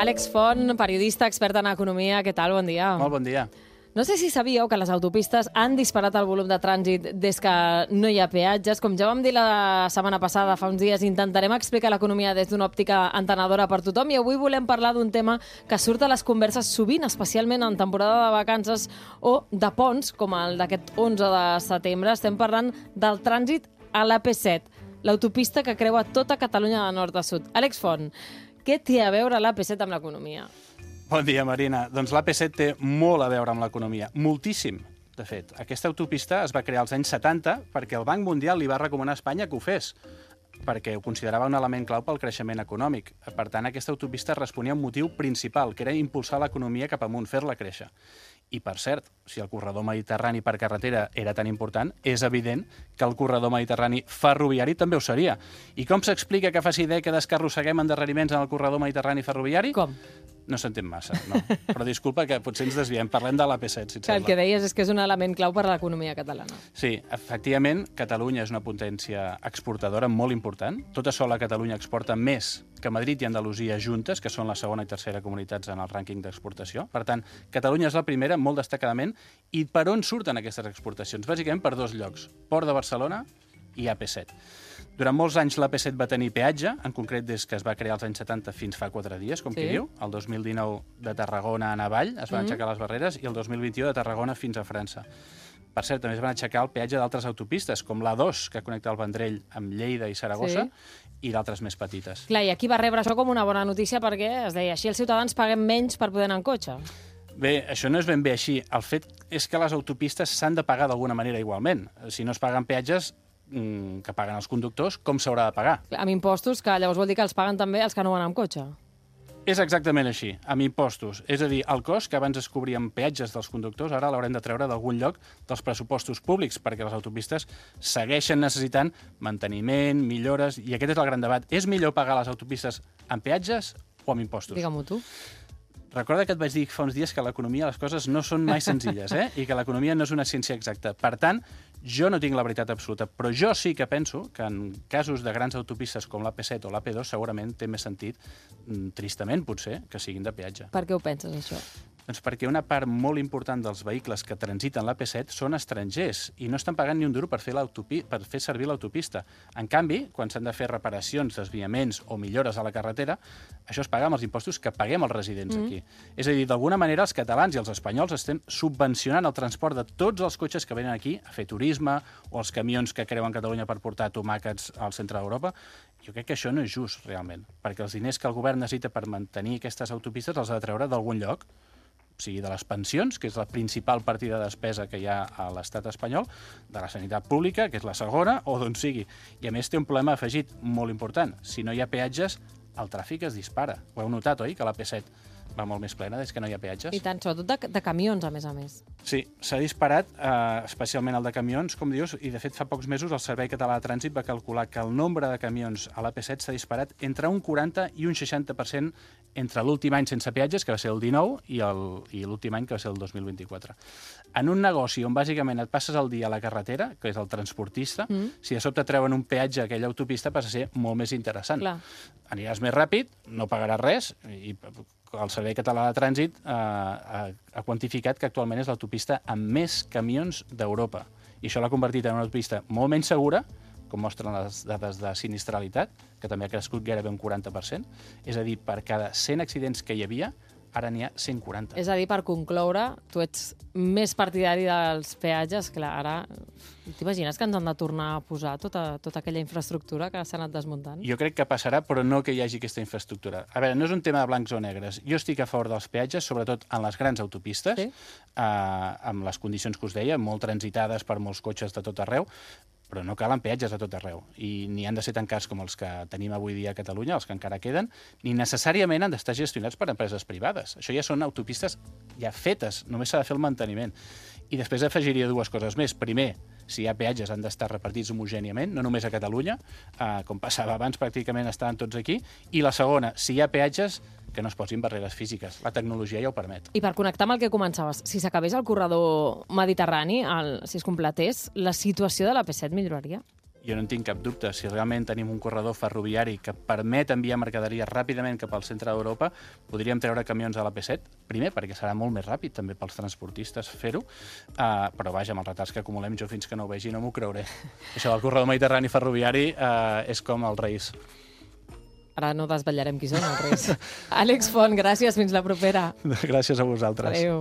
Àlex Font, periodista, expert en economia. Què tal? Bon dia. Molt bon dia. No sé si sabíeu que les autopistes han disparat el volum de trànsit des que no hi ha peatges. Com ja vam dir la setmana passada, fa uns dies, intentarem explicar l'economia des d'una òptica entenedora per tothom i avui volem parlar d'un tema que surt a les converses sovint, especialment en temporada de vacances o de ponts, com el d'aquest 11 de setembre. Estem parlant del trànsit a l'AP7, l'autopista que creua tota Catalunya de nord a sud. Àlex Font, què té a veure l'AP7 amb l'economia? Bon dia, Marina. Doncs l'AP7 té molt a veure amb l'economia, moltíssim, de fet. Aquesta autopista es va crear als anys 70 perquè el Banc Mundial li va recomanar a Espanya que ho fes, perquè ho considerava un element clau pel creixement econòmic. Per tant, aquesta autopista responia a un motiu principal, que era impulsar l'economia cap amunt, fer-la créixer. I, per cert, si el corredor mediterrani per carretera era tan important, és evident que el corredor mediterrani ferroviari també ho seria. I com s'explica que faci dècades que arrosseguem endarreriments en el corredor mediterrani ferroviari? Com? No s'entén massa, no. Però disculpa que potser ens desviem. Parlem de l'AP7, si et Que el sembla. que deies és que és un element clau per a l'economia catalana. Sí, efectivament, Catalunya és una potència exportadora molt important. Tota sola Catalunya exporta més que Madrid i Andalusia juntes, que són la segona i tercera comunitats en el rànquing d'exportació. Per tant, Catalunya és la primera, molt destacadament. I per on surten aquestes exportacions? Bàsicament per dos llocs, Port de Barcelona i AP7. Durant molts anys l'AP7 va tenir peatge, en concret des que es va crear als anys 70 fins fa 4 dies, com qui diu. El 2019 de Tarragona a Navall es van aixecar les barreres i el 2021 de Tarragona fins a França. Per cert, també es van aixecar el peatge d'altres autopistes, com l'A2, que connecta el Vendrell amb Lleida i Saragossa, i d'altres més petites. Clar, i aquí va rebre això com una bona notícia perquè es deia així els ciutadans paguem menys per poder anar en cotxe. Bé, això no és ben bé així. El fet és que les autopistes s'han de pagar d'alguna manera igualment. Si no es paguen peatges que paguen els conductors, com s'haurà de pagar? Amb impostos, que llavors vol dir que els paguen també els que no van amb cotxe. És exactament així, amb impostos. És a dir, el cost que abans es cobria amb peatges dels conductors, ara l'haurem de treure d'algun lloc dels pressupostos públics, perquè les autopistes segueixen necessitant manteniment, millores, i aquest és el gran debat. És millor pagar les autopistes amb peatges o amb impostos? Digue-m'ho tu. Recorda que et vaig dir fa uns dies que a l'economia les coses no són mai senzilles, i que l'economia no és una ciència exacta. Per tant, jo no tinc la veritat absoluta, però jo sí que penso que en casos de grans autopistes com l'AP7 o l'AP2 segurament té més sentit, tristament potser, que siguin de peatge. Per què ho penses, això? Doncs perquè una part molt important dels vehicles que transiten l'AP7 són estrangers i no estan pagant ni un duro per fer servir l'autopista. En canvi, quan s'han de fer reparacions, desviaments o millores a la carretera, això es paga amb els impostos que paguem els residents aquí. És a dir, d'alguna manera els catalans i els espanyols estem subvencionant el transport de tots els cotxes que venen aquí a fer turisme o els camions que creuen Catalunya per portar tomàquets al centre d'Europa. Jo crec que això no és just, realment, perquè els diners que el govern necessita per mantenir aquestes autopistes els ha de treure d'algun lloc, o sigui, de les pensions, que és la principal partida de despesa que hi ha a l'estat espanyol, de la sanitat pública, que és la segona, o d'on sigui. I a més té un problema afegit molt important. Si no hi ha peatges, el tràfic es dispara. Ho heu notat, oi, que l'AP7 va molt més plena des que no hi ha peatges? I tant, sobretot de camions, a més. Sí, s'ha disparat, especialment el de camions, com dius, i de fet fa pocs mesos el Servei Català de Trànsit va calcular que el nombre de camions a l'AP7 s'ha disparat entre un 40 i un 60% entre l'últim any sense peatges, que va ser el 19, i l'últim any, que va ser el 2024. En un negoci on bàsicament et passes el dia a la carretera, que és el transportista, si de sobte treuen un peatge a aquella autopista passa a ser molt més interessant. Clar. Aniràs més ràpid, no pagaràs res, i el Servei Català de Trànsit ha quantificat que actualment és l'autopista amb més camions d'Europa. I això l'ha convertit en una autopista molt menys segura, com mostren les dades de sinistralitat, que també ha crescut gairebé un 40%. És a dir, per cada 100 accidents que hi havia, ara n'hi ha 140. És a dir, per concloure, tu ets més partidari dels peatges. Clar, ara t'imagines que ens han de tornar a posar tota aquella infraestructura que s'ha anat desmuntant? Jo crec que passarà, però no que hi hagi aquesta infraestructura. A veure, no és un tema de blancs o negres. Jo estic a favor dels peatges, sobretot en les grans autopistes, amb les condicions que us deia, molt transitades per molts cotxes de tot arreu, però no calen peatges a tot arreu. I ni han de ser tan cars com els que tenim avui dia a Catalunya, els que encara queden, ni necessàriament han d'estar gestionats per empreses privades. Això ja són autopistes ja fetes, només s'ha de fer el manteniment. I després afegiria dues coses més. Primer, si hi ha peatges han d'estar repartits homogèniament, no només a Catalunya, com passava abans, pràcticament estaven tots aquí. I la segona, si hi ha peatges, que no es posin barreres físiques. La tecnologia ja ho permet. I per connectar amb el que començaves, si s'acabés el corredor mediterrani, si es completés, la situació de l'AP7 milloraria? Jo no en tinc cap dubte. Si realment tenim un corredor ferroviari que permet enviar mercaderies ràpidament cap al centre d'Europa, podríem treure camions a l'AP7, primer perquè serà molt més ràpid també pels transportistes fer-ho, però vaja, amb els retards que acumulem, jo fins que no ho vegi no m'ho creuré. Això del corredor mediterrani ferroviari és com els Reis. Ara no desvetllarem qui són els Reis. Àlex Font, gràcies, fins la propera. Gràcies a vosaltres. Adéu.